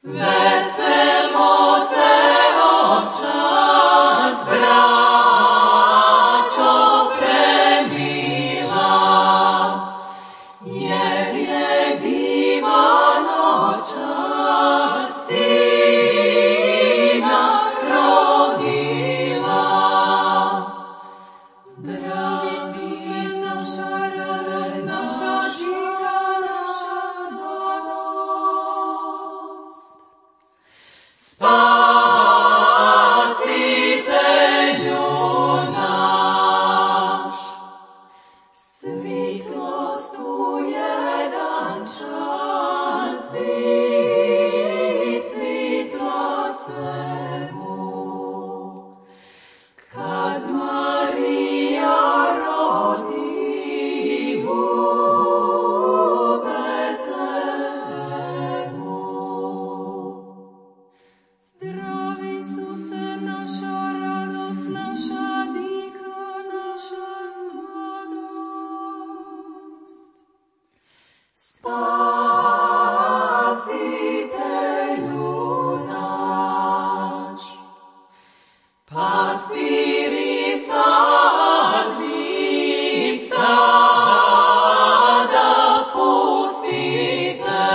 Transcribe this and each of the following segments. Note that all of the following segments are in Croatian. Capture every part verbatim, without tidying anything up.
Veselmo se očas, braćo premila, jer je divan očas sina rodila. Zdravi Isus, naša radost, naša živa, naša sladost. Spasitelju naš, svitlost u jedan čas di svitla svemu. Kad Marija rodi u Betlehemu. Zdravi Isuse, naša radost, naša dika, naša sladost. Spasitelju naš, pastiri sadni stada pustite,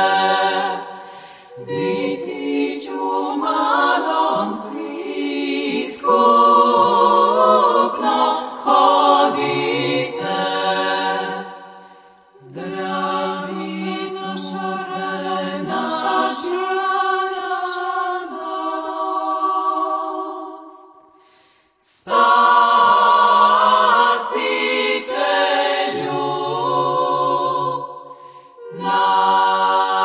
ditiću malom svi skupno hodite. Zdravi Isuse, naša živa, naša sladost. Spasitelju naš.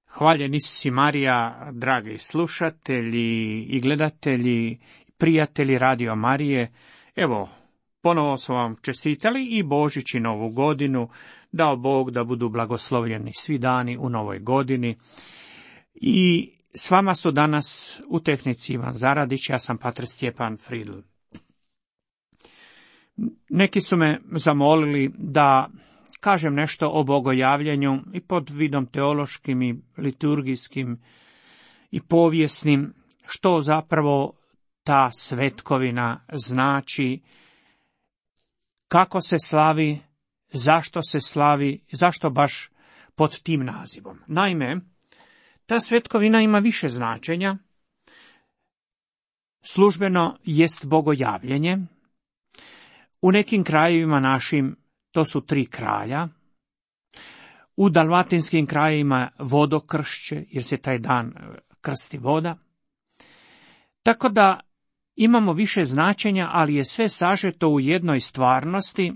Hvaljeni si Marija, dragi slušatelji i gledatelji, prijatelji Radio Marije. Evo, ponovo smo vam čestitali i Božić i Novu godinu. Dao Bog da budu blagoslovljeni svi dani u novoj godini. I s vama su danas u tehnici Ivan Zaradić, ja sam pater Stjepan Fridl. Neki su me zamolili da kažem nešto o bogojavljenju i pod vidom teološkim i liturgijskim i povijesnim, što zapravo ta svetkovina znači, kako se slavi, zašto se slavi, zašto baš pod tim nazivom. Naime, ta svetkovina ima više značenja. Službeno jest bogojavljenje. U nekim krajevima našim to su tri kralja. U dalmatinskim krajevima vodokršće, jer se taj dan krsti voda. Tako da imamo više značenja, ali je sve sažeto u jednoj stvarnosti,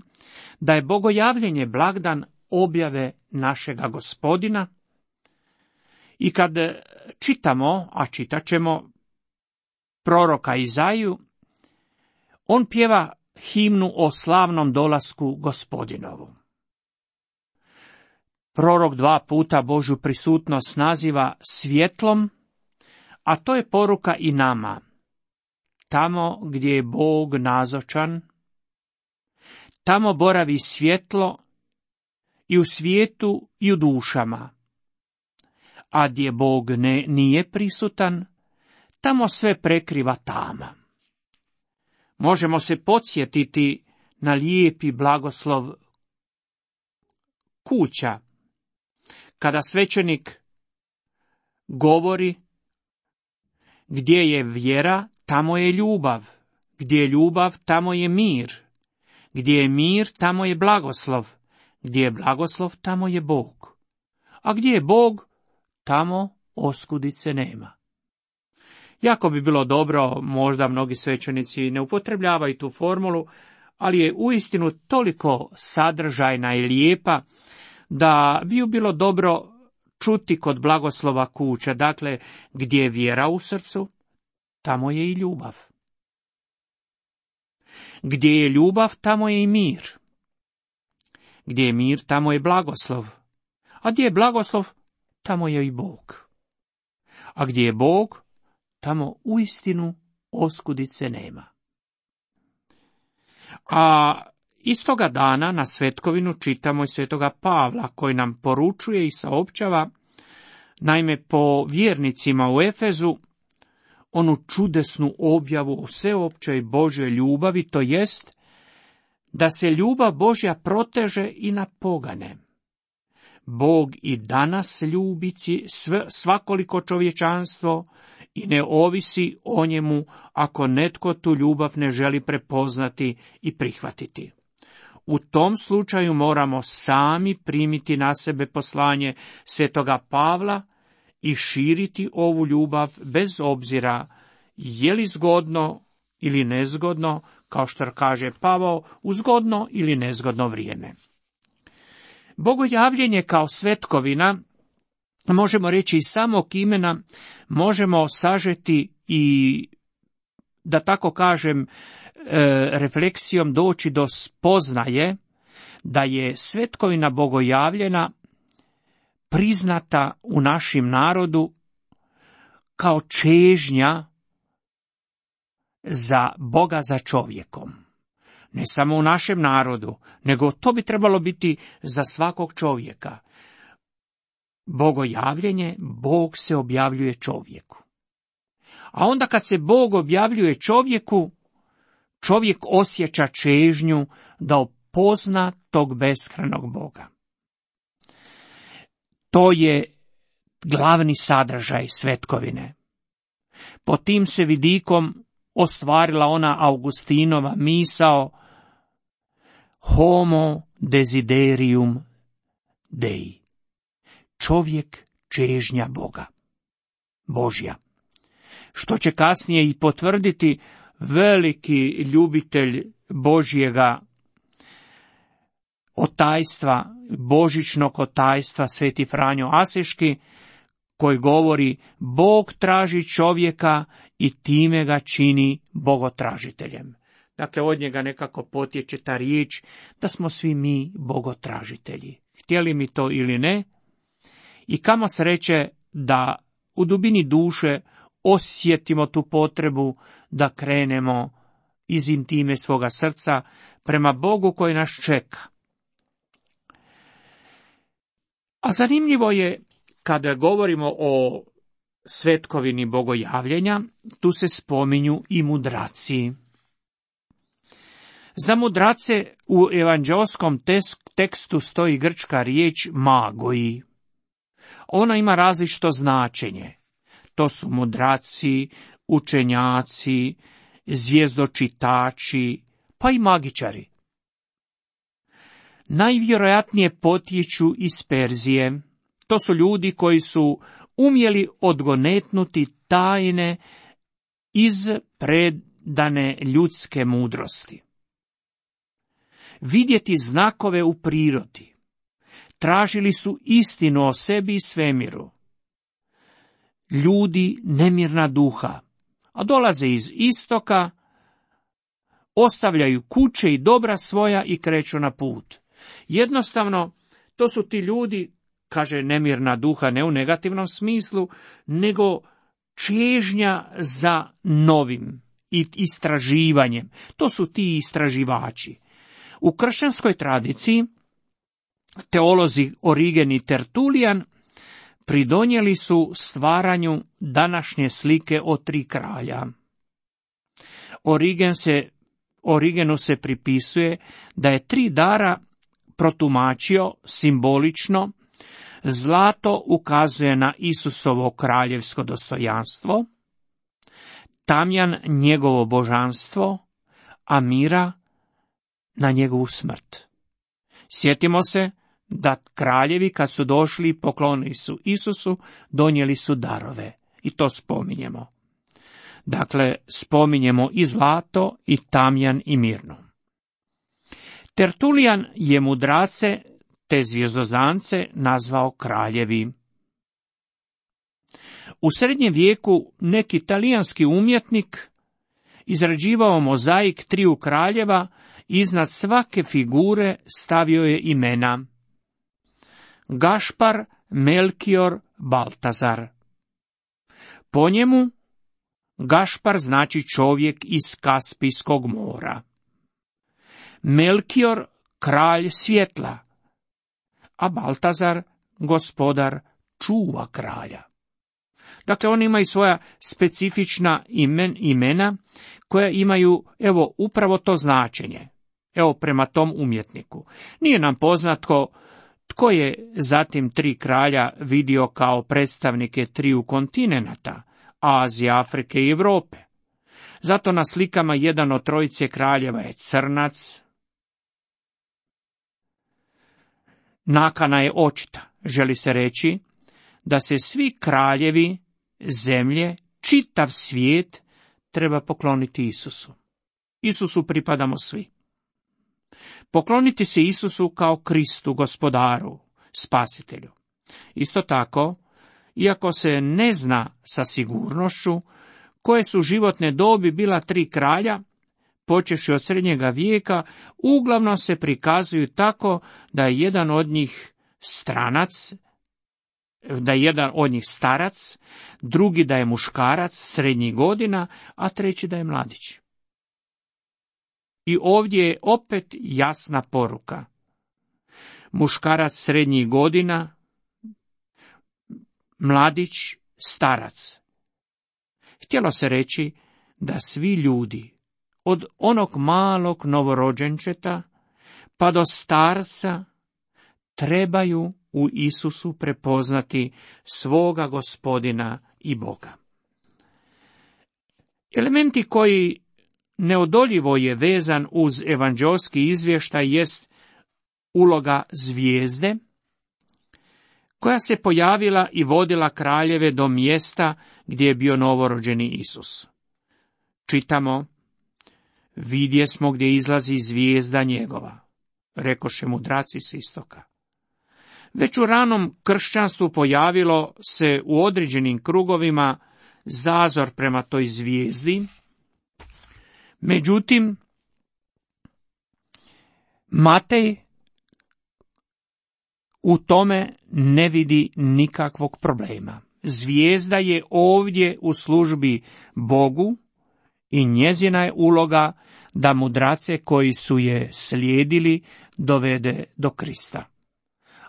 da je bogojavljenje blagdan objave našega Gospodina. I kad čitamo, a čitat ćemo proroka Izaiju, on pjeva himnu o slavnom dolasku Gospodinovu. Prorok dva puta Božju prisutnost naziva svjetlom, a to je poruka i nama. Tamo gdje je Bog nazočan, tamo boravi svjetlo i u svijetu i u dušama. A gdje Bog ne, nije prisutan, tamo sve prekriva tama. Možemo se podsjetiti na lijepi blagoslov kuća, kada svećenik govori: gdje je vjera, tamo je ljubav, gdje je ljubav, tamo je mir, gdje je mir, tamo je blagoslov, gdje je blagoslov, tamo je Bog, a gdje je Bog, tamo oskudice nema. Jako bi bilo dobro, možda mnogi svećenici ne upotrebljavaju tu formulu, ali je uistinu toliko sadržajna i lijepa da bi ju bilo dobro čuti kod blagoslova kuća. Dakle, gdje je vjera u srcu, tamo je i ljubav. Gdje je ljubav, tamo je i mir. Gdje je mir, tamo je blagoslov. A gdje je blagoslov, tamo je i Bog. A gdje je Bog, tamo uistinu oskudice nema. A Istoga dana na svetkovinu čitamo i svetoga Pavla, koji nam poručuje i saopćava, naime po vjernicima u Efezu, onu čudesnu objavu o sveopćoj Božjoj ljubavi, to jest da se ljubav Božja proteže i na pogane. Bog i danas ljubi sve, svakoliko čovječanstvo i ne ovisi o njemu ako netko tu ljubav ne želi prepoznati i prihvatiti. U tom slučaju moramo sami primiti na sebe poslanje svetoga Pavla i širiti ovu ljubav bez obzira je li zgodno ili nezgodno, kao što kaže Pavao, u zgodno ili nezgodno vrijeme. Bogojavljenje kao svetkovina, možemo reći iz samog imena, možemo sažeti i, da tako kažem, refleksijom doći do spoznaje da je svetkovina bogojavljena priznata u našem narodu kao čežnja za Boga za čovjekom. Ne samo u našem narodu, nego to bi trebalo biti za svakog čovjeka. Bogojavljenje, Bog se objavljuje čovjeku. A onda kad se Bog objavljuje čovjeku, čovjek osjeća čežnju da opozna tog beskrajnog Boga. To je glavni sadržaj svetkovine. Po tim se vidikom ostvarila ona Augustinova misao homo desiderium Dei. Čovjek čežnja Boga, Božja. Što će kasnije i potvrditi veliki ljubitelj Božjega otajstva, božićnog otajstva, sveti Franjo Asiški, koji govori Bog traži čovjeka i time ga čini bogotražiteljem. Dakle, od njega nekako potječe ta riječ da smo svi mi bogotražitelji. Htjeli mi to ili ne, i kamo sreće da u dubini duše osjetimo tu potrebu da krenemo iz intime svoga srca prema Bogu koji nas čeka. A zanimljivo je, kada govorimo o svetkovini bogojavljenja, tu se spominju i mudraci. Za mudrace u evanđeoskom tekstu stoji grčka riječ magoi. Ona ima različito značenje. To su mudraci, učenjaci, zvijezdočitači, pa i magičari. Najvjerojatnije potječu iz Perzije. To su ljudi koji su umjeli odgonetnuti tajne iz predane ljudske mudrosti. Vidjeti znakove u prirodi. Tražili su istinu o sebi i svemiru. Ljudi nemirna duha, a dolaze iz istoka, ostavljaju kuće i dobra svoja i kreću na put. Jednostavno, to su ti ljudi, kaže nemirna duha, ne u negativnom smislu, nego čežnja za novim i istraživanjem. To su ti istraživači. U kršćanskoj tradiciji teolozi Origen i Tertulijan pridonijeli su stvaranju današnje slike o tri kralja. Origen se, Origenu se pripisuje da je tri dara protumačio simbolično. Zlato ukazuje na Isusovo kraljevsko dostojanstvo, tamjan njegovo božanstvo, a mira na njegovu smrt. Sjetimo se da kraljevi kad su došli i poklonili su Isusu, donijeli su darove. I to spominjemo. Dakle, spominjemo i zlato, i tamjan, i mirno. Tertulijan je mudrace te zvijezdozance nazvao kraljevi. U srednjem vijeku neki talijanski umjetnik izrađivao mozaik triju kraljeva, iznad svake figure stavio je imena Gašpar, Melkior, Baltazar. Po njemu Gašpar znači čovjek iz Kaspijskog mora. Melkior kralj svjetla, a Baltazar gospodar čuva kralja. Dakle, oni imaju svoja specifična imen, imena koja imaju, evo, upravo to značenje. Evo, prema tom umjetniku. Nije nam poznato tko je zatim tri kralja vidio kao predstavnike triju kontinenata, Azije, Afrike i Europe. Zato na slikama jedan od trojice kraljeva je crnac. Nakana je očita. Želi se reći da se svi kraljevi zemlje, čitav svijet, treba pokloniti Isusu. Isusu pripadamo svi. Pokloniti se Isusu kao Kristu, gospodaru, spasitelju. Isto tako, iako se ne zna sa sigurnošću koje su životne dobi bila tri kralja, počevši od srednjega vijeka, uglavnom se prikazuju tako da je jedan od njih stranac, da je jedan od njih starac, drugi da je muškarac srednjih godina, a treći da je mladić. I ovdje je opet jasna poruka. Muškarac srednjih godina, mladić, starac. Htjelo se reći da svi ljudi, od onog malog novorođenčeta pa do starca, trebaju u Isusu prepoznati svoga Gospodina i Boga. Elementi koji neodoljivo je vezan uz evanđeoski izvještaj jest uloga zvijezde, koja se pojavila i vodila kraljeve do mjesta gdje je bio novorođeni Isus. Čitamo: vidjesmo gdje izlazi zvijezda njegova, rekoše mudraci s istoka. Već u ranom kršćanstvu pojavilo se u određenim krugovima zazor prema toj zvijezdi. Međutim, Matej u tome ne vidi nikakvog problema. Zvijezda je ovdje u službi Bogu i njezina je uloga da mudrace koji su je slijedili dovede do Krista.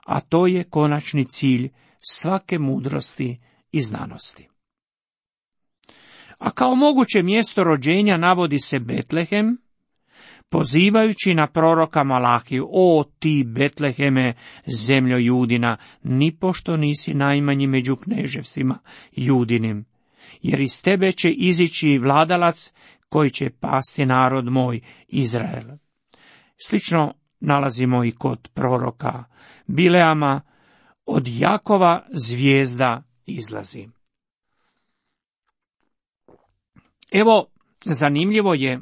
A to je konačni cilj svake mudrosti i znanosti. A kao moguće mjesto rođenja navodi se Betlehem, pozivajući na proroka Malahiju: o ti Betleheme, zemljo Judina, nipošto nisi najmanji među kneževstvima Judinim, jer iz tebe će izići vladalac koji će pasti narod moj Izrael. Slično nalazimo i kod proroka Bileama: od Jakova zvijezda izlazi. Evo, zanimljivo je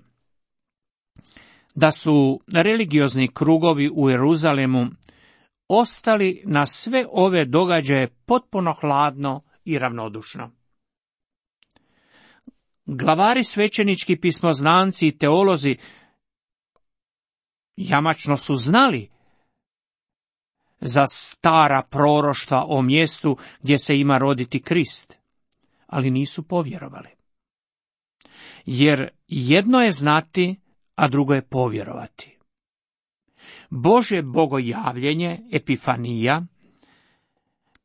da su religiozni krugovi u Jeruzalemu ostali na sve ove događaje potpuno hladno i ravnodušno. Glavari svećenički, pismoznanci i teolozi jamačno su znali za stara proroštva o mjestu gdje se ima roditi Krist, ali nisu povjerovali. Jer jedno je znati, a drugo je povjerovati. Božje bogojavljenje, epifanija,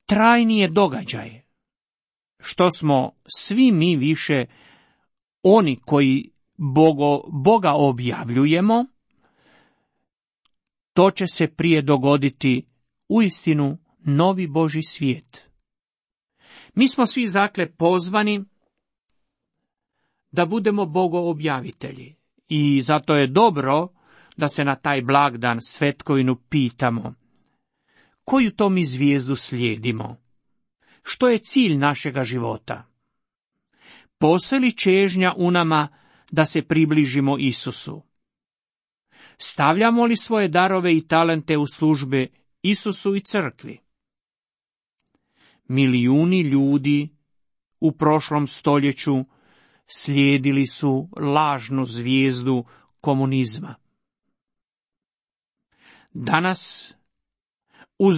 trajni je događaj, što smo svi mi više oni koji Bogo, Boga objavljujemo, to će se prije dogoditi uistinu novi Božji svijet. Mi smo svi zakle pozvani da budemo bogoobjavitelji i zato je dobro da se na taj blagdan svetkovinu pitamo: koju to mi zvijezdu slijedimo? Što je cilj našega života? Postoji li čežnja u nama da se približimo Isusu? Stavljamo li svoje darove i talente u službe Isusu i crkvi? Milijuni ljudi u prošlom stoljeću slijedili su lažnu zvijezdu komunizma. Danas, uz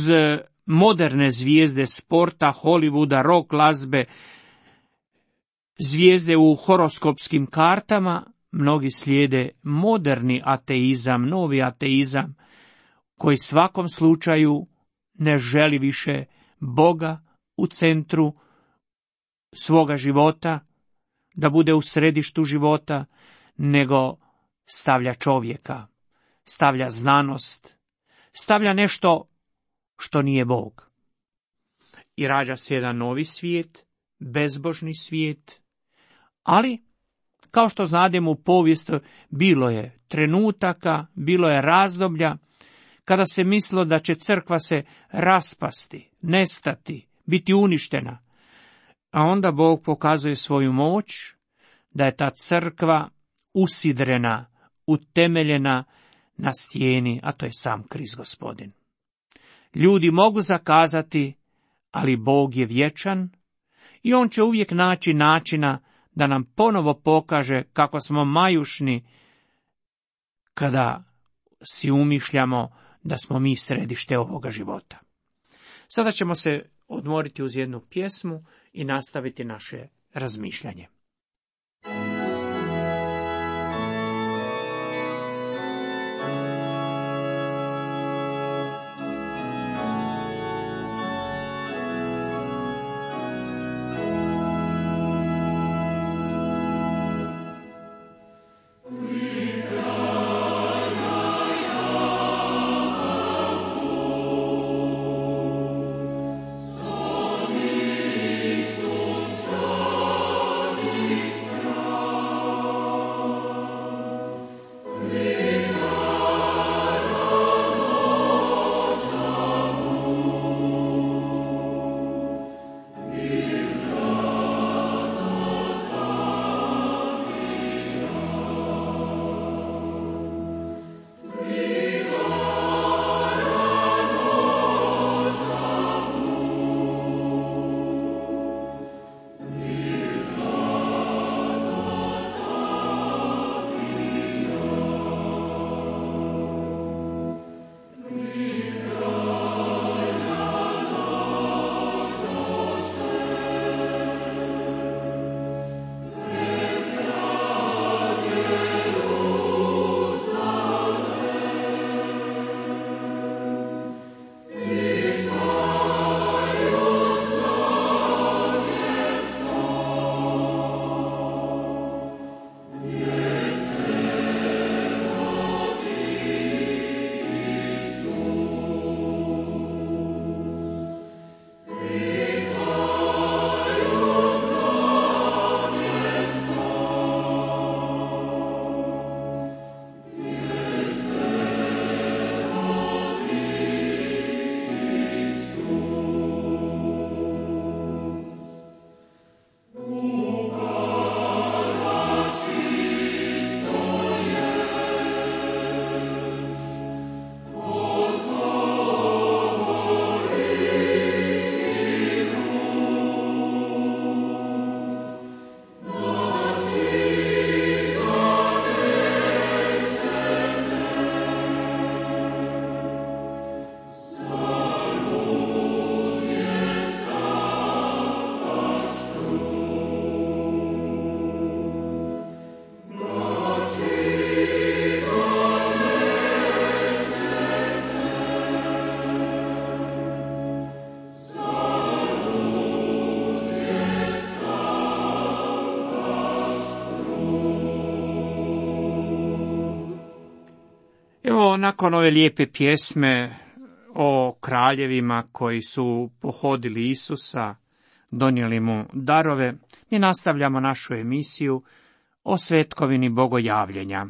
moderne zvijezde sporta, Hollywooda, rock glazbe, zvijezde u horoskopskim kartama, mnogi slijede moderni ateizam, novi ateizam, koji svakom slučaju ne želi više Boga u centru svoga života, da bude u središtu života, nego stavlja čovjeka, stavlja znanost, stavlja nešto što nije Bog. I rađa se jedan novi svijet, bezbožni svijet, ali, kao što znademo u povijesti, bilo je trenutaka, bilo je razdoblja, kada se mislilo da će crkva se raspasti, nestati, biti uništena. A onda Bog pokazuje svoju moć, da je ta crkva usidrena, utemeljena na stijeni, a to je sam Krist Gospodin. Ljudi mogu zakazati, ali Bog je vječan i on će uvijek naći načina da nam ponovo pokaže kako smo majušni kada si umišljamo da smo mi središte ovoga života. Sada ćemo se odmoriti uz jednu pjesmu i nastaviti naše razmišljanje. Evo, nakon ove lijepe pjesme o kraljevima koji su pohodili Isusa, donijeli mu darove, mi nastavljamo našu emisiju o svetkovini bogojavljenja.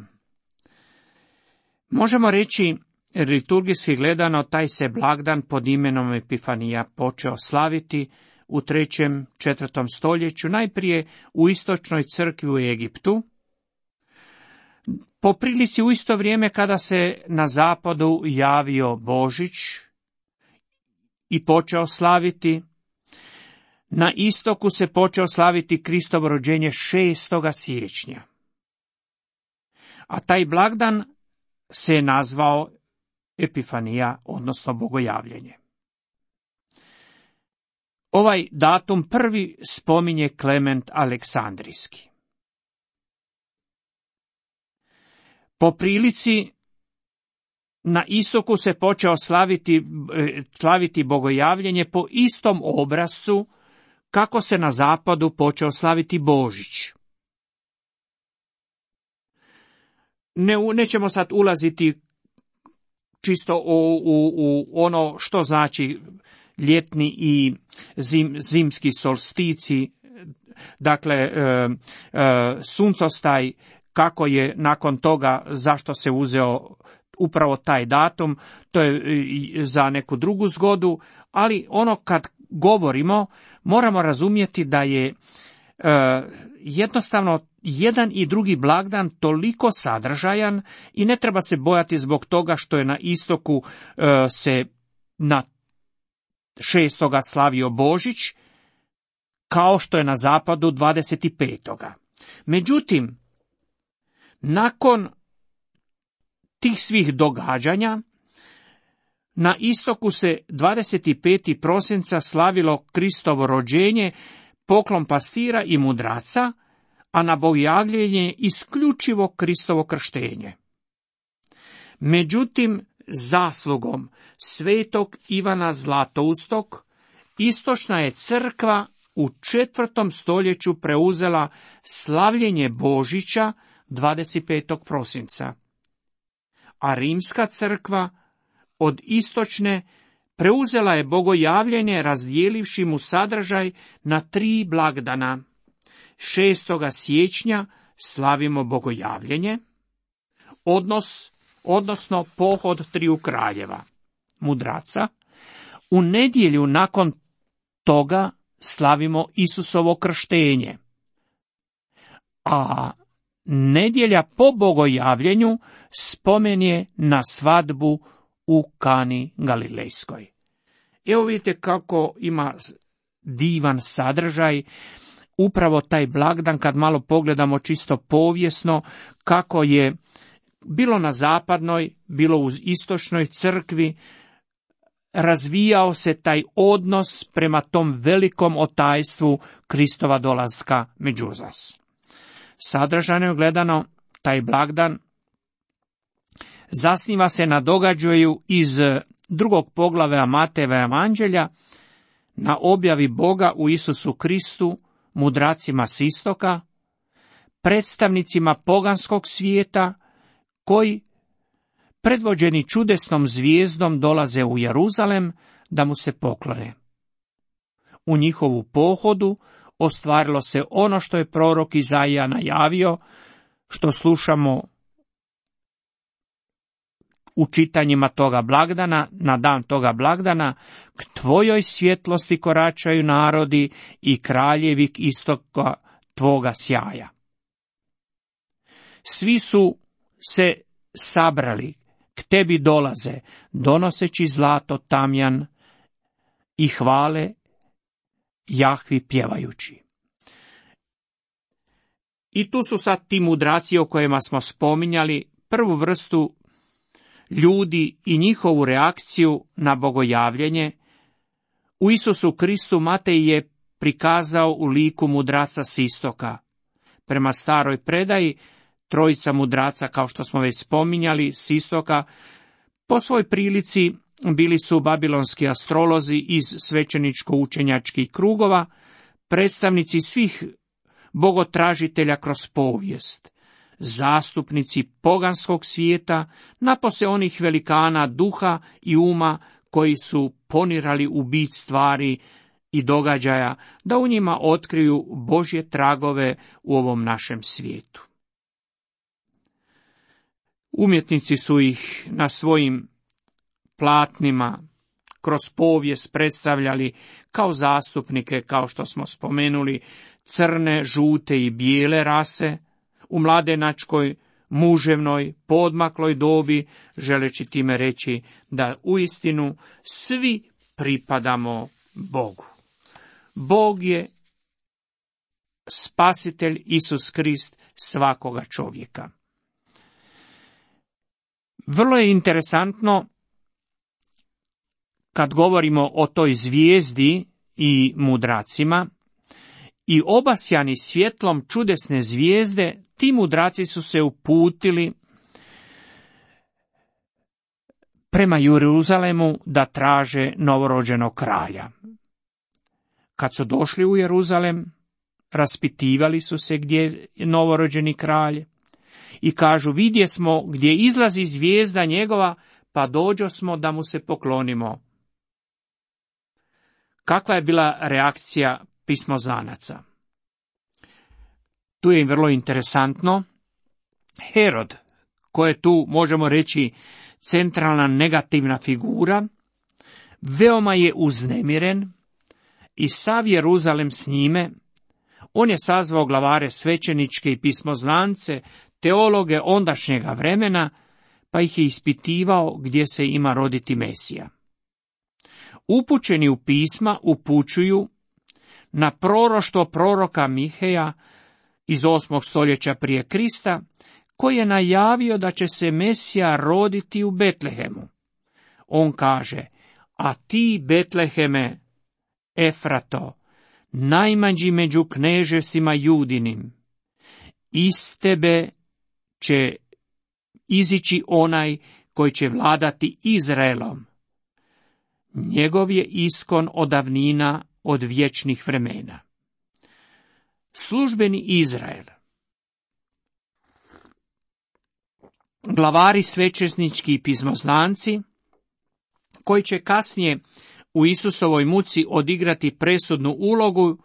Možemo reći, liturgijski gledano, taj se blagdan pod imenom Epifanija počeo slaviti u trećem, četvrtom stoljeću, najprije u istočnoj crkvi u Egiptu, po prilici u isto vrijeme kada se na zapadu javio Božić i počeo slaviti. Na istoku se počeo slaviti Kristovo rođenje šestoga siječnja. A taj blagdan se je nazvao Epifanija, odnosno bogojavljenje. Ovaj datum prvi spominje Klement Aleksandrijski. Po prilici, na istoku se počeo slaviti, slaviti bogojavljenje po istom obrascu kako se na zapadu počeo slaviti Božić. Ne, nećemo sad ulaziti čisto u, u, u ono što znači ljetni i zim, zimski solstici, dakle e, e, suncostaj, kako je nakon toga, zašto se uzeo upravo taj datum, to je za neku drugu zgodu, ali ono kad govorimo, moramo razumjeti da je e, jednostavno jedan i drugi blagdan toliko sadržajan i ne treba se bojati zbog toga što je na istoku e, se na šestoga slavio Božić, kao što je na zapadu dvadeset petoga Međutim, nakon tih svih događanja, na istoku se dvadeset petog prosinca slavilo Kristovo rođenje, poklon pastira i mudraca, a na bogojavljenje isključivo Kristovo krštenje. Međutim, zaslugom svetog Ivana Zlatoustog, istočna je crkva u četvrtom stoljeću preuzela slavljenje Božića dvadeset petog prosinca, a rimska crkva od istočne preuzela je bogojavljenje razdijelivši mu sadržaj na tri blagdana. šestoga siječnja slavimo bogojavljenje, odnos, odnosno pohod triju kraljeva, mudraca. U nedjelju nakon toga slavimo Isusovo krštenje, a nedjelja po bogojavljenju spomen je na svadbu u Kani Galilejskoj. Evo vidite kako ima divan sadržaj upravo taj blagdan, kad malo pogledamo čisto povijesno, kako je bilo na zapadnoj, bilo u istočnoj crkvi, razvijao se taj odnos prema tom velikom otajstvu Kristova dolaska među nas. Sadržajno gledano, taj blagdan zasniva se na događaju iz drugog poglavlja Matejeva evanđelja, na objavi Boga u Isusu Kristu, mudracima s istoka, predstavnicima poganskog svijeta, koji, predvođeni čudesnom zvijezdom, dolaze u Jeruzalem da mu se poklone. U njihovu pohodu ostvarilo se ono što je prorok Izaija najavio, što slušamo u čitanjima toga blagdana, na dan toga blagdana: k tvojoj svjetlosti koračaju narodi i kraljevi k istoka tvoga sjaja. Svi su se sabrali, k tebi dolaze, donoseći zlato, tamjan i hvale Jahvi pjevajući. I tu su sad ti mudraci o kojima smo spominjali, prvu vrstu ljudi i njihovu reakciju na bogojavljenje. U Isusu Kristu Matej je prikazao u liku mudraca s istoka. Prema staroj predaji, trojica mudraca, kao što smo već spominjali, s istoka, po svoj prilici bili su babilonski astrolozi iz svećeničko-učenjačkih krugova, predstavnici svih bogotražitelja kroz povijest, zastupnici poganskog svijeta, napose onih velikana duha i uma koji su ponirali u bit stvari i događaja, da u njima otkriju Božje tragove u ovom našem svijetu. Umjetnici su ih na svojim platnima kroz povijest predstavljali kao zastupnike, kao što smo spomenuli, crne, žute i bijele rase, u mladenačkoj, muževnoj, poodmakloj dobi, želeći time reći da uistinu svi pripadamo Bogu. Bog je spasitelj Isus Krist svakoga čovjeka. Vrlo je interesantno kad govorimo o toj zvijezdi i mudracima, i obasjani svjetlom čudesne zvijezde, ti mudraci su se uputili prema Jeruzalemu da traže novorođenog kralja. Kad su došli u Jeruzalem, raspitivali su se gdje je novorođeni kralj i kažu, vidje smo gdje izlazi zvijezda njegova, pa dođo smo da mu se poklonimo. Kakva je bila reakcija pismoznanaca? Tu je vrlo interesantno. Herod, ko je tu, možemo reći, centralna negativna figura, veoma je uznemiren i sav Jeruzalem s njime. On je sazvao glavare svećeničke i pismoznance, teologe ondašnjega vremena, pa ih je ispitivao gdje se ima roditi Mesija. Upućeni u pisma upućuju na proroštvo proroka Miheja iz osmog stoljeća prije Krista, koji je najavio da će se Mesija roditi u Betlehemu. On kaže, a ti, Betleheme, Efrato, najmanji među knežesima Judinim, iz tebe će izići onaj koji će vladati Izraelom. Njegov je iskon od davnina, od vječnih vremena. Službeni Izrael. Glavari svećenički i pismoznanci, koji će kasnije u Isusovoj muci odigrati presudnu ulogu,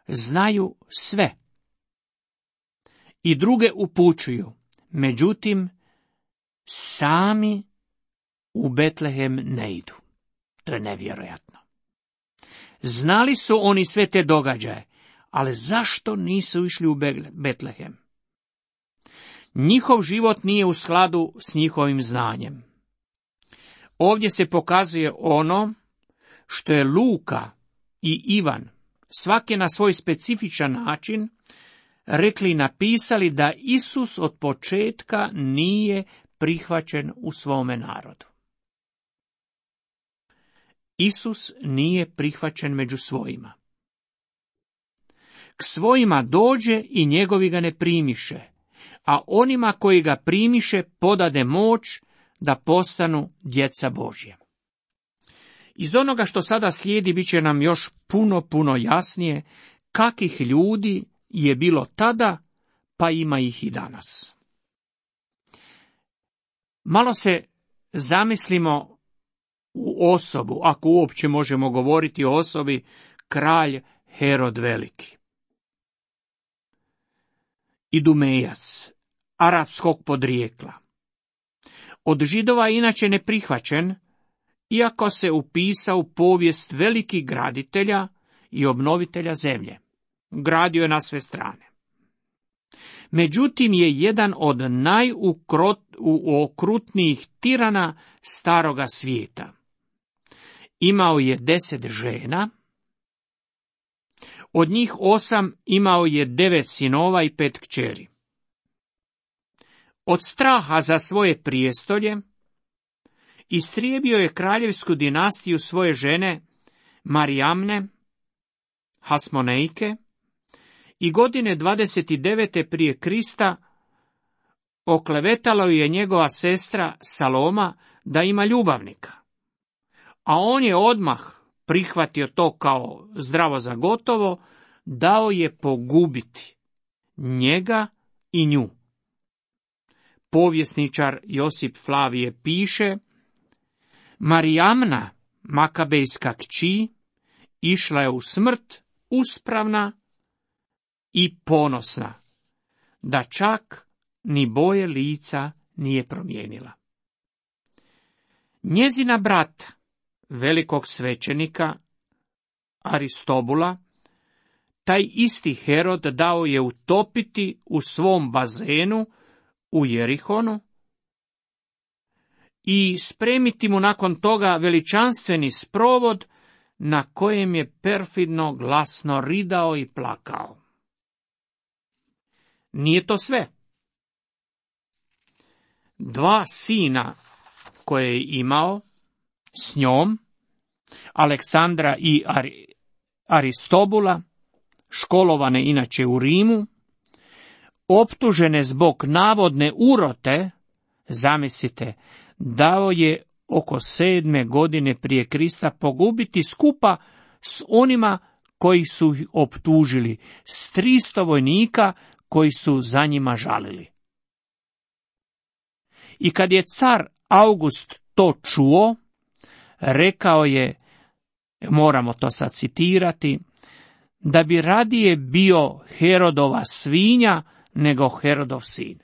znaju sve. I druge upućuju, međutim, sami u Betlehem ne idu. To je nevjerojatno. Znali su oni sve te događaje, ali zašto nisu išli u Betlehem? Njihov život nije u skladu s njihovim znanjem. Ovdje se pokazuje ono što je Luka i Ivan, svaki na svoj specifičan način, rekli i napisali da Isus od početka nije prihvaćen u svome narodu. Isus nije prihvaćen među svojima. K svojima dođe i njegovi ga ne primiše, a onima koji ga primiše podade moć da postanu djeca Božja. Iz onoga što sada slijedi bit će nam još puno, puno jasnije kakih ljudi je bilo tada, pa ima ih i danas. Malo se zamislimo u osobu, ako uopće možemo govoriti o osobi, kralj Herod Veliki. Idumejac, arapskog podrijekla. Od Židova inače neprihvaćen, iako se upisao u povijest velikih graditelja i obnovitelja zemlje. Gradio je na sve strane. Međutim je jedan od najuokrutnijih tirana staroga svijeta. Imao je deset žena, od njih osam imao je devet sinova i pet kćeri. Od straha za svoje prijestolje istrijebio je kraljevsku dinastiju svoje žene Marijamne, Hasmonejke, i godine dvadeset devet prije Krista oklevetalo je njegova sestra Saloma da ima ljubavnika, a on je odmah prihvatio to kao zdravo za gotovo, dao je pogubiti njega i nju. Povjesničar Josip Flavije piše, Marijamna, Makabejska kći, išla je u smrt uspravna i ponosna, da čak ni boje lica nije promijenila. Njezina brata, velikog svećenika Aristobula, taj isti Herod dao je utopiti u svom bazenu u Jerihonu i spremiti mu nakon toga veličanstveni sprovod na kojem je perfidno glasno ridao i plakao. Nije to sve. Dva sina koje je imao s njom, Aleksandra i Ar- Aristobula, školovane inače u Rimu, optužene zbog navodne urote, zamislite, dao je oko sedme godine prije Krista pogubiti skupa s onima koji su ih optužili, s tristo vojnika koji su za njima žalili. I kad je car August to čuo, rekao je, moramo to sad citirati, da bi radije bio Herodova svinja nego Herodov sin.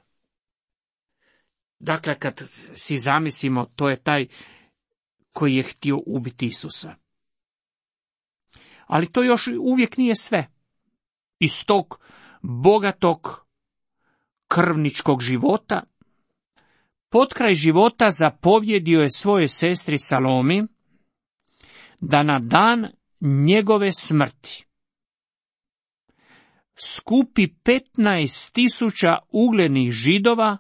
Dakle, kad si zamislimo, to je taj koji je htio ubiti Isusa. Ali to još uvijek nije sve. Iz tog bogatog krvničkog života, potkraj života zapovjedio je svojoj sestri Salomi da na dan njegove smrti skupi petnaest tisuća uglednih Židova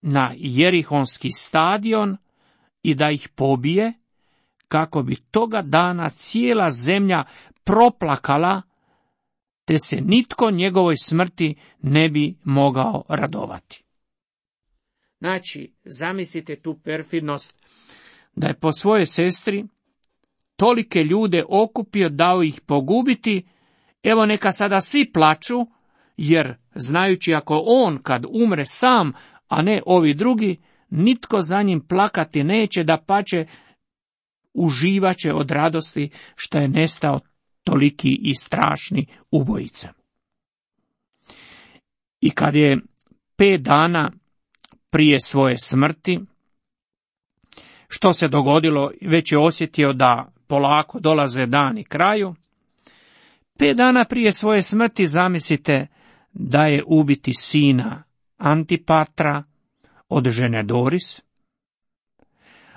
na Jerihonski stadion i da ih pobije, kako bi toga dana cijela zemlja proplakala, te se nitko njegovoj smrti ne bi mogao radovati. Znači, zamislite tu perfidnost, da je po svojoj sestri tolike ljude okupio, dao ih pogubiti. Evo, neka sada svi plaču, jer znajući ako on kad umre sam, a ne ovi drugi, nitko za njim plakati neće, dapače uživaće od radosti što je nestao toliki i strašni ubojica. I kad je pet dana prije svoje smrti, što se dogodilo, već je osjetio da polako dolaze dani kraju. Pet dana prije svoje smrti zamislite da je ubiti sina Antipatra od žene Doris,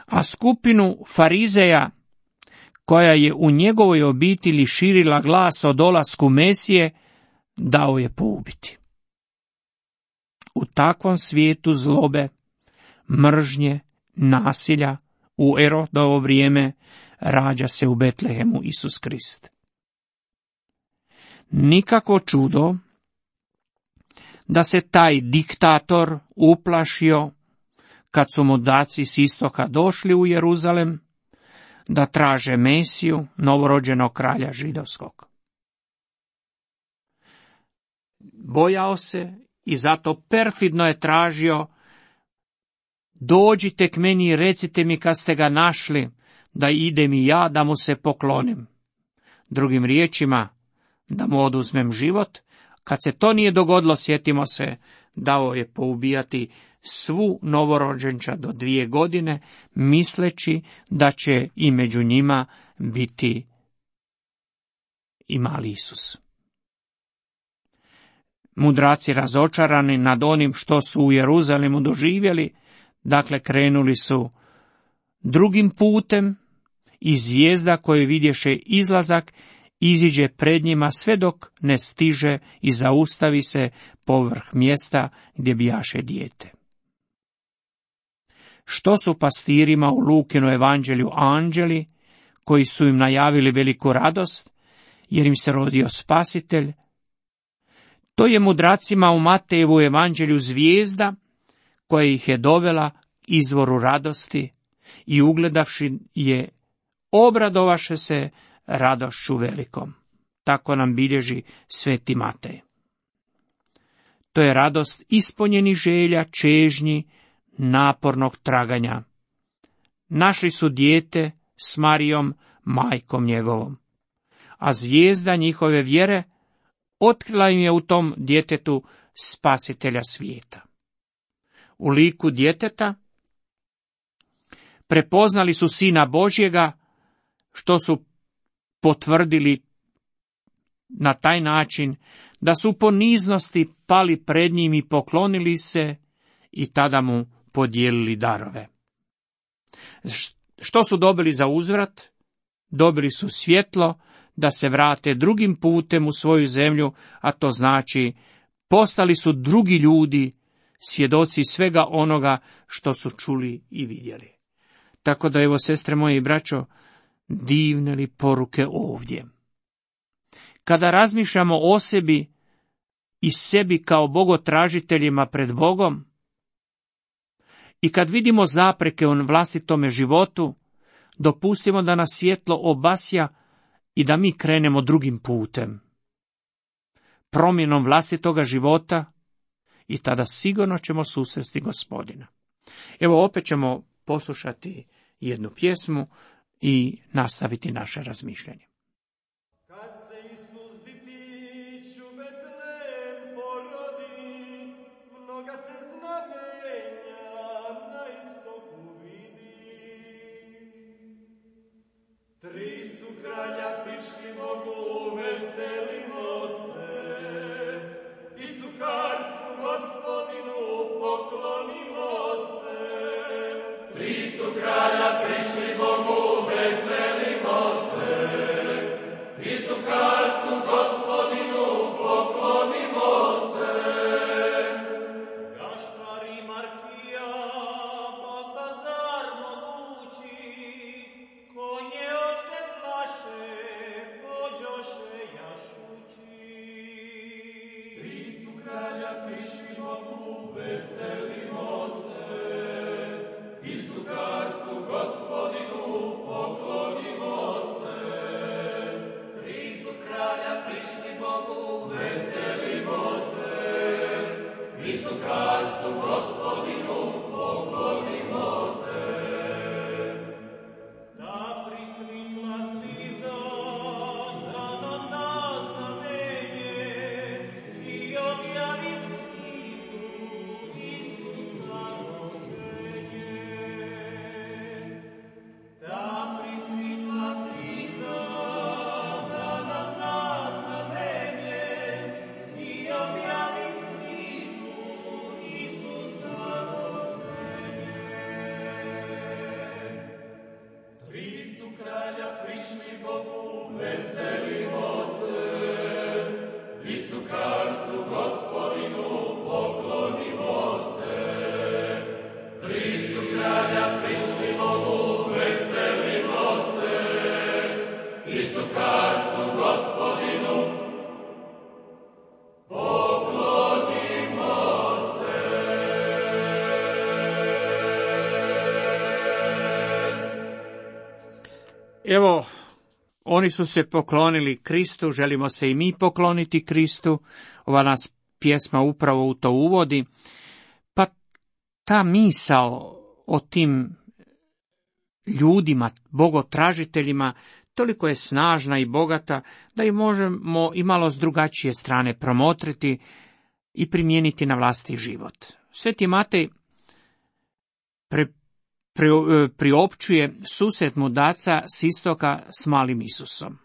a skupinu farizeja koja je u njegovoj obitelji širila glas o dolasku Mesije, dao je poubiti. U takvom svijetu zlobe, mržnje, nasilja u Erodovo vrijeme rađa se u Betlehemu Isus Krist. Nikako čudo da se taj diktator uplašio kad su mudaci s istoka došli u Jeruzalem da traže Mesiju, novorođenog kralja židovskog. Bojao se i zato perfidno je tražio: dođite k meni i recite mi kad ste ga našli, da idem i ja da mu se poklonim. Drugim riječima, da mu oduzmem život. Kad se to nije dogodilo, sjetimo se, dao je poubijati svu novorođenča do dvije godine, misleći da će i među njima biti i mali Isus. Mudraci razočarani nad onim što su u Jeruzalemu doživjeli, dakle krenuli su drugim putem i zvijezda koju vidješe izlazak iziđe pred njima sve dok ne stiže i zaustavi se povrh mjesta gdje bijaše dijete. Što su pastirima u Lukinu evanđelju anđeli koji su im najavili veliku radost jer im se rodio spasitelj? To je mudracima u Matejevu evanđelju zvijezda koja ih je dovela izvoru radosti i ugledavši je obradovaše se radošću velikom. Tako nam bilježi sveti Matej. To je radost ispunjenih želja, čežnji, napornog traganja. Našli su dijete s Marijom, majkom njegovom, a zvijezda njihove vjere otkrila im je u tom djetetu spasitelja svijeta. U liku djeteta prepoznali su Sina Božjega, što su potvrdili na taj način da su u poniznosti pali pred njim i poklonili se i tada mu podijelili darove. Što su dobili za uzvrat? Dobili su svjetlo da se vrate drugim putem u svoju zemlju, a to znači postali su drugi ljudi, svjedoci svega onoga što su čuli i vidjeli. Tako da, evo, sestre moje i braćo, divne li poruke ovdje. Kada razmišljamo o sebi i sebi kao bogotražiteljima pred Bogom I kad vidimo zapreke u vlastitome životu, dopustimo da nas svjetlo obasja i da mi krenemo drugim putem. Promjenom vlastitoga života i tada sigurno ćemo susresti Gospodina. Evo opet ćemo poslušati jednu pjesmu i nastaviti naše razmišljanje. Kad se Isus ditić u Betlem porodi, mnoga se znamenja na istoku vidi. Tri su kralja prišli Bogu, veselimo se, i sukarstvu Gospodinu poklonimo se. Tri su kralja prišli Bogu, veselimo se, i sukarstvu Gospodinu poklonimo se. Gašpar i Markija, Baltazar mogući, konje se plaše, pođoše jašući. Tri su kralja prišli Bogu, veselimo se, i sukarstvu Gospodinu poklonimo se. Tri su kralja prišli Bogu, veselimo se, i sukarstvu Gospodinu poklonimo se. Da prisvitla zvizda, da nam da znamenje, i objavi svitu Isusa rođenje. Da prisvitla zvizda, da nam da znamenje, i objavi svitu Isusa rođenje. Tri su kralja prišli Bogu, veselimo se, i sukarstvu Gospodinu poklonimo se. Tri su kralja prišli Bogu, veselimo se, i sukarstvu Gospodinu poklonimo se. Evo, oni su se poklonili Kristu, želimo se i mi pokloniti Kristu. Ova nas pjesma upravo u to uvodi. Pa ta misao o tim ljudima, bogotražiteljima, toliko je snažna i bogata da je možemo i malo s drugačije strane promotriti i primijeniti na vlastiti život. Sveti Matej pre Pri- priopćuje susret mudraca s istoka s malim Isusom.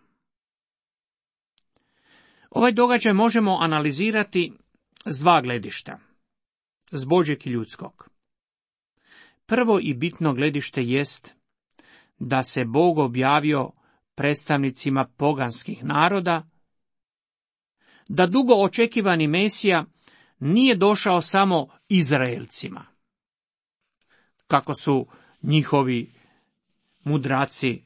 Ovaj događaj možemo analizirati s dva gledišta, s Božjeg i ljudskog. Prvo i bitno gledište jest da se Bog objavio predstavnicima poganskih naroda, da dugo očekivani Mesija nije došao samo Izraelcima, kako su njihovi mudraci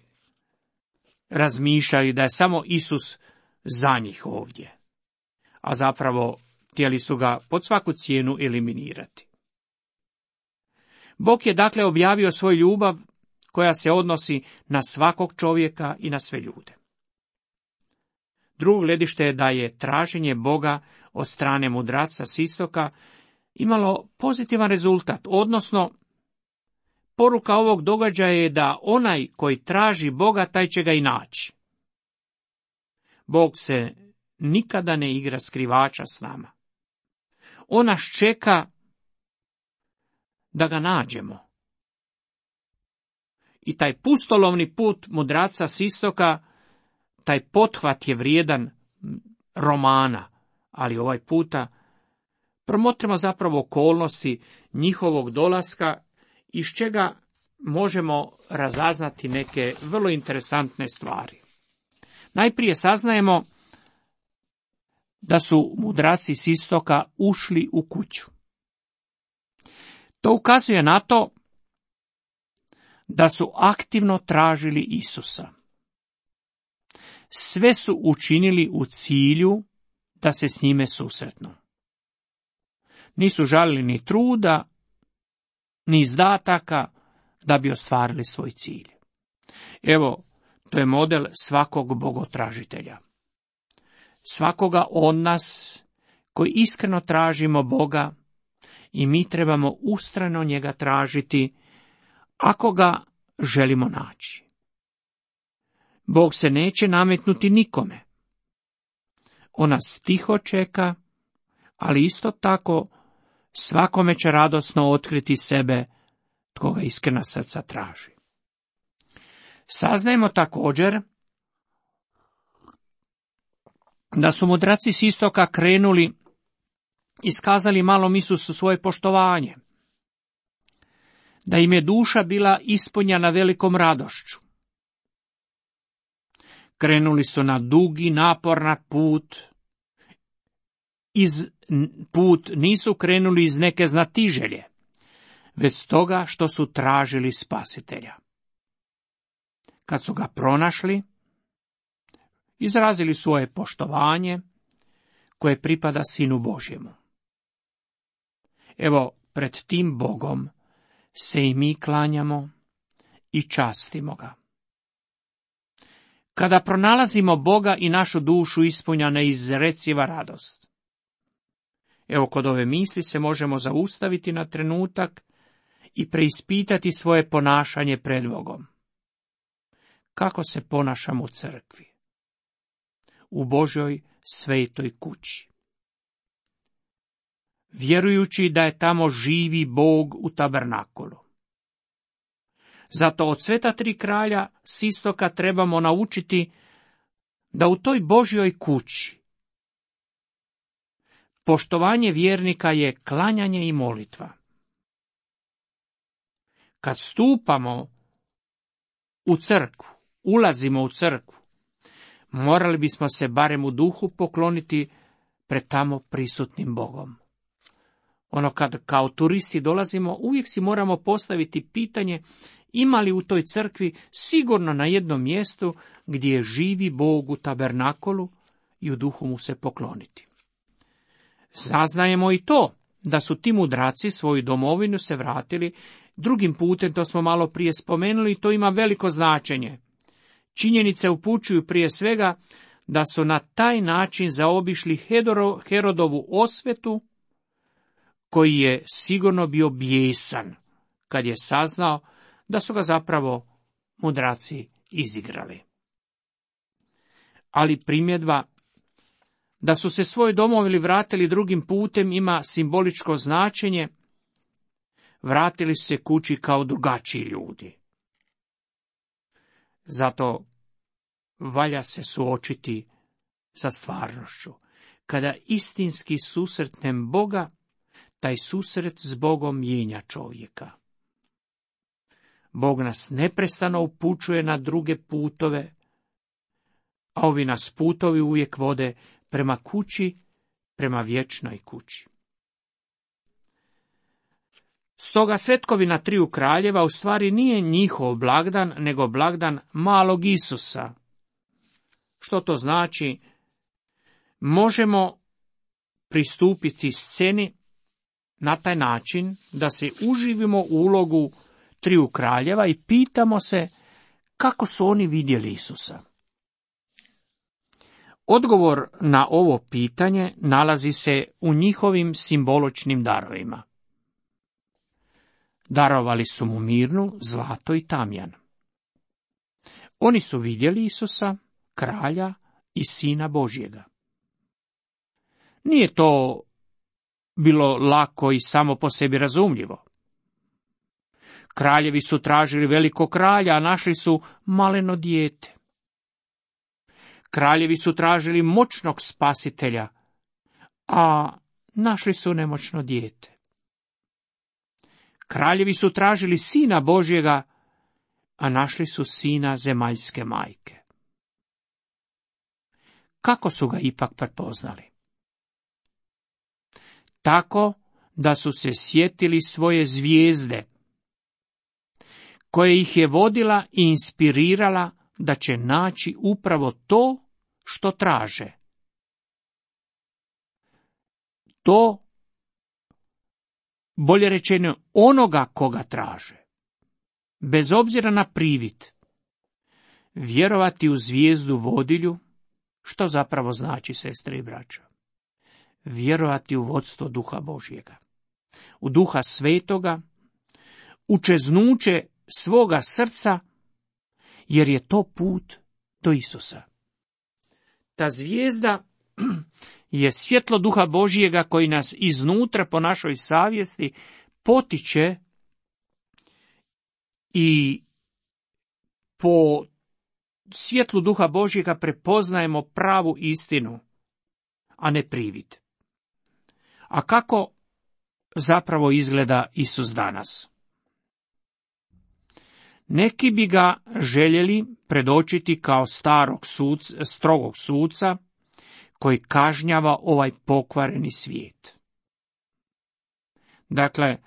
razmišljali da je samo Isus za njih ovdje, a zapravo htjeli su ga pod svaku cijenu eliminirati. Bog je dakle objavio svoju ljubav koja se odnosi na svakog čovjeka i na sve ljude. Drugo gledište je da je traženje Boga od strane mudraca s istoka imalo pozitivan rezultat, odnosno poruka ovog događaja je da onaj koji traži Boga, taj će ga i naći. Bog se nikada ne igra skrivača s nama. On nas čeka da ga nađemo. I taj pustolovni put mudraca s istoka, taj pothvat je vrijedan romana, ali ovaj puta promotrimo zapravo okolnosti njihovog dolaska, iz čega možemo razaznati neke vrlo interesantne stvari. Najprije saznajemo da su mudraci s istoka ušli u kuću. To ukazuje na to da su aktivno tražili Isusa. Sve su učinili u cilju da se s njime susretnu. Nisu žalili ni truda, ni izdataka da bi ostvarili svoj cilj. Evo, to je model svakog bogotražitelja. Svakoga od nas koji iskreno tražimo Boga i mi trebamo ustrajno njega tražiti ako ga želimo naći. Bog se neće nametnuti nikome. On nas tiho čeka, ali isto tako svakome će radosno otkriti sebe tko ga iskrena srca traži. Saznajemo također da su mudraci s istoka krenuli, iskazali malom Isusu svoje poštovanje, da im je duša bila ispunjena velikom radošću. Krenuli su na dugi, naporan put, iz put nisu krenuli iz neke znatiželje, već toga što su tražili spasitelja. Kad su ga pronašli, izrazili svoje poštovanje koje pripada Sinu Božjemu. Evo, pred tim Bogom se i mi klanjamo i častimo ga. Kada pronalazimo Boga i našu dušu ispunja neizreciva radost. Evo, kod ove misli se možemo zaustaviti na trenutak i preispitati svoje ponašanje pred Bogom. Kako se ponašamo u crkvi? U Božjoj svetoj kući. Vjerujući da je tamo živi Bog u tabernakulu. Zato od sveta tri kralja s istoka trebamo naučiti da u toj Božjoj kući poštovanje vjernika je klanjanje i molitva. Kad stupamo u crkvu, ulazimo u crkvu, morali bismo se barem u duhu pokloniti pred tamo prisutnim Bogom. Ono kad kao turisti dolazimo, uvijek si moramo postaviti pitanje ima li u toj crkvi sigurno na jednom mjestu gdje živi Bog u tabernakolu i u duhu mu se pokloniti. Saznajemo i to da su ti mudraci svoju domovinu se vratili drugim putem, to smo malo prije spomenuli, i to ima veliko značenje. Činjenice upućuju prije svega da su na taj način zaobišli Herodovu osvetu, koji je sigurno bio bijesan kad je saznao da su ga zapravo mudraci izigrali. Ali primjedba da su se svoj domovili vratili drugim putem ima simboličko značenje. Vratili su se kući kao drugačiji ljudi. Zato valja se suočiti sa stvarnošću. Kada istinski susretnem Boga, taj susret s Bogom mijenja čovjeka. Bog nas neprestano upućuje na druge putove, a ovi nas putovi uvijek vode prema kući, prema vječnoj kući. Stoga svetkovina triju kraljeva u stvari nije njihov blagdan, nego blagdan malog Isusa. Što to znači? Možemo pristupiti sceni na taj način da se uživimo u ulogu triju kraljeva i pitamo se kako su oni vidjeli Isusa. Odgovor na ovo pitanje nalazi se u njihovim simboličnim darovima. Darovali su mu mirnu, zlato i tamjan. Oni su vidjeli Isusa, kralja i Sina Božjega. Nije to bilo lako i samo po sebi razumljivo. Kraljevi su tražili velikog kralja, a našli su maleno dijete. Kraljevi su tražili moćnog spasitelja, a našli su nemoćno dijete. Kraljevi su tražili Sina Božjega, a našli su sina zemaljske majke. Kako su ga ipak prepoznali? Tako da su se sjetili svoje zvijezde, koja ih je vodila i inspirirala da će naći upravo to što traže. bolje rečeno onoga koga traže. Bez obzira na privid, vjerovati u zvijezdu vodilju, što zapravo znači, sestre i braćo? Vjerovati u vodstvo Duha Božjega, u Duha Svetoga, u čeznuće svoga srca, jer je to put do Isusa. Ta zvijezda je svjetlo Duha Božjega koji nas iznutra po našoj savjesti potiče i po svjetlu Duha Božjega prepoznajemo pravu istinu, a ne privid. A kako zapravo izgleda Isus danas? Neki bi ga željeli predočiti kao starog suca, strogog suca koji kažnjava ovaj pokvareni svijet. Dakle,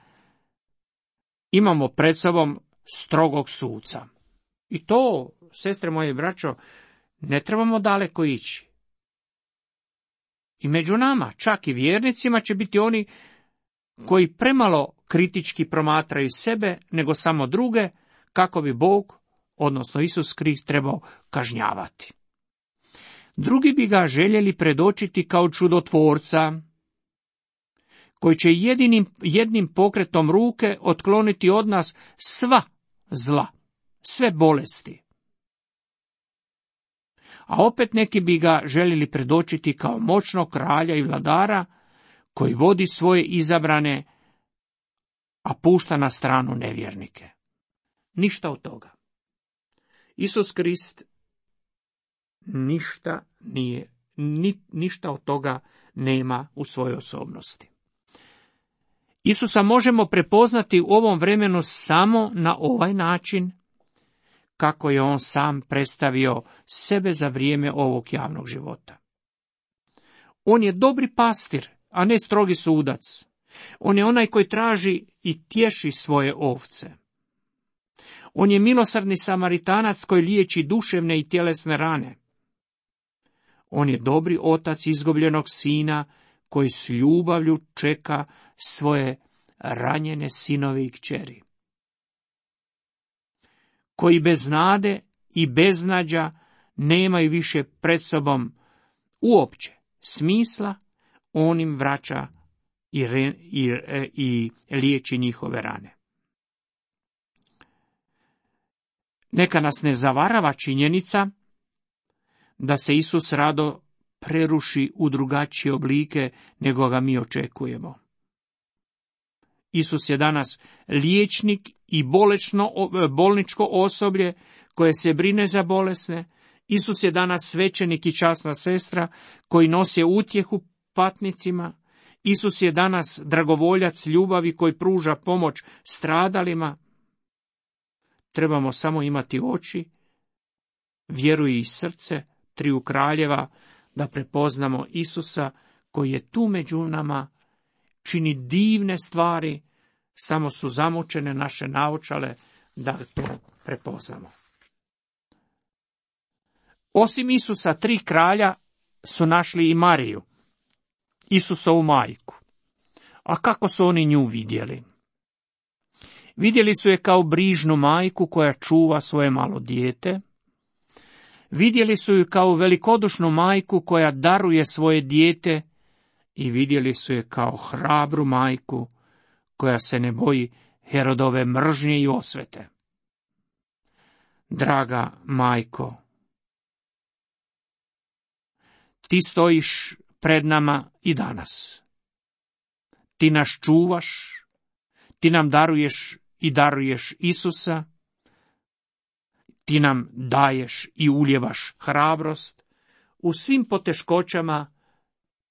imamo pred sobom strogog suca. I to, sestre moje i braćo, ne trebamo daleko ići. I među nama, čak i vjernicima, će biti oni koji premalo kritički promatraju sebe, nego samo druge, kako bi Bog, odnosno Isus Krist, trebao kažnjavati. Drugi bi ga željeli predočiti kao čudotvorca, koji će jedinim, jednim pokretom ruke otkloniti od nas sva zla, sve bolesti. A opet neki bi ga željeli predočiti kao moćnog kralja i vladara, koji vodi svoje izabrane, a pušta na stranu nevjernike. Ništa od toga. Isus Krist ništa nije, ni, ništa od toga nema u svojoj osobnosti. Isusa možemo prepoznati u ovom vremenu samo na ovaj način, kako je on sam predstavio sebe za vrijeme ovog javnog života. On je dobri pastir, a ne strogi sudac. On je onaj koji traži i tješi svoje ovce. On je milosrdni Samaritanac koji liječi duševne i tjelesne rane. On je dobri otac izgubljenog sina koji s ljubavlju čeka svoje ranjene sinove i kćeri. Koji bez nade i beznađa nemaju više pred sobom uopće smisla, on im vraća i, re, i, i liječi njihove rane. Neka nas ne zavarava činjenica da se Isus rado preruši u drugačije oblike nego ga mi očekujemo. Isus je danas liječnik i bolečno, bolničko osoblje koje se brine za bolesne. Isus je danas svećenik i časna sestra koji nose utjehu patnicima. Isus je danas dragovoljac ljubavi koji pruža pomoć stradalima. Trebamo samo imati oči, vjeru i srce triju kraljeva da prepoznamo Isusa koji je tu među nama, čini divne stvari, samo su zamučene naše naočale da to prepoznamo. Osim Isusa, tri kralja su našli i Mariju, Isusovu majku. A kako su oni nju vidjeli? Vidjeli su je kao brižnu majku koja čuva svoje malo dijete. Vidjeli su ju kao velikodušnu majku koja daruje svoje dijete i vidjeli su je kao hrabru majku koja se ne boji Herodove mržnje i osvete. Draga majko, ti stojiš pred nama i danas. Ti nas čuvaš, ti nam daruješ i daruješ Isusa, ti nam daješ i uljevaš hrabrost u svim poteškoćama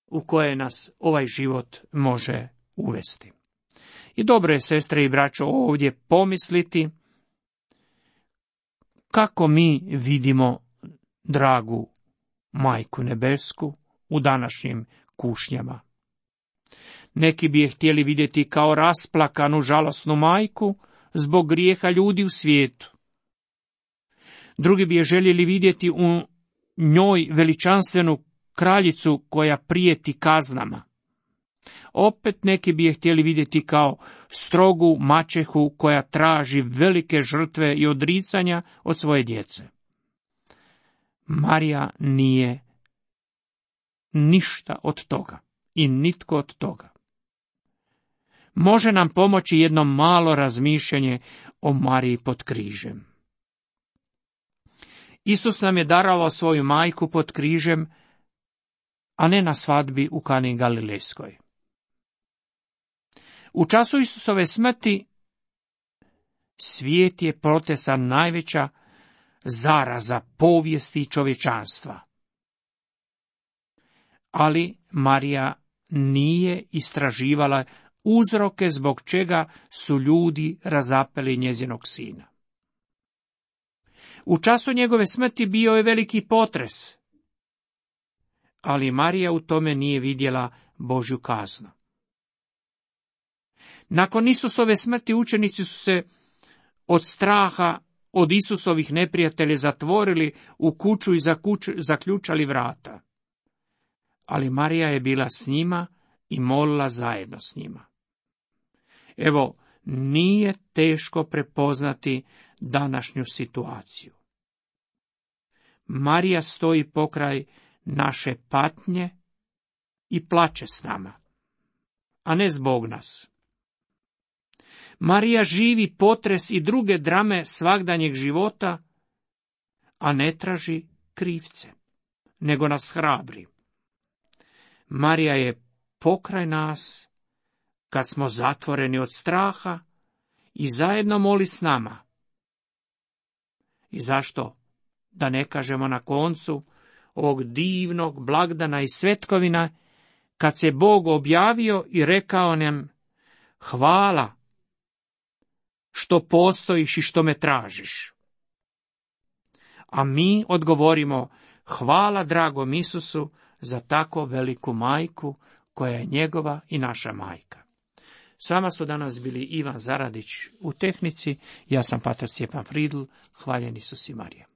u koje nas ovaj život može uvesti. I dobro je, sestre i braćo, ovdje pomisliti kako mi vidimo dragu Majku Nebesku u današnjim kušnjama. Neki bi je htjeli vidjeti kao rasplakanu, žalosnu majku zbog grijeha ljudi u svijetu. Drugi bi je željeli vidjeti u njoj veličanstvenu kraljicu koja prijeti kaznama. Opet neki bi je htjeli vidjeti kao strogu maćehu koja traži velike žrtve i odricanja od svoje djece. Marija nije ništa od toga i nitko od toga. Može nam pomoći jedno malo razmišljanje o Mariji pod križem. Isus nam je darovao svoju majku pod križem, a ne na svadbi u Kani Galilejskoj. U času Isusove smrti svijet je protresan najveća zaraza povijesti čovječanstva. Ali Marija nije istraživala uzroke zbog čega su ljudi razapeli njezinog sina. U času njegove smrti bio je veliki potres, ali Marija u tome nije vidjela Božju kaznu. Nakon Isusove smrti učenici su se od straha od Isusovih neprijatelja zatvorili u kuću i zaključali vrata. Ali Marija je bila s njima i molila zajedno s njima. Evo, nije teško prepoznati današnju situaciju. Marija stoji pokraj naše patnje i plače s nama, a ne zbog nas. Marija živi potres i druge drame svagdanjeg života, a ne traži krivce, nego nas hrabri. Marija je pokraj nas kad smo zatvoreni od straha i zajedno moli s nama. I zašto da ne kažemo na koncu ovog divnog blagdana i svetkovina, kad se Bog objavio i rekao nam: hvala što postojiš i što me tražiš. A mi odgovorimo: hvala dragom Isusu za tako veliku majku koja je njegova i naša majka. S vama su danas bili Ivan Zaradić u tehnici, ja sam patar Stjepan Fridl, hvaljen Isus i Marija.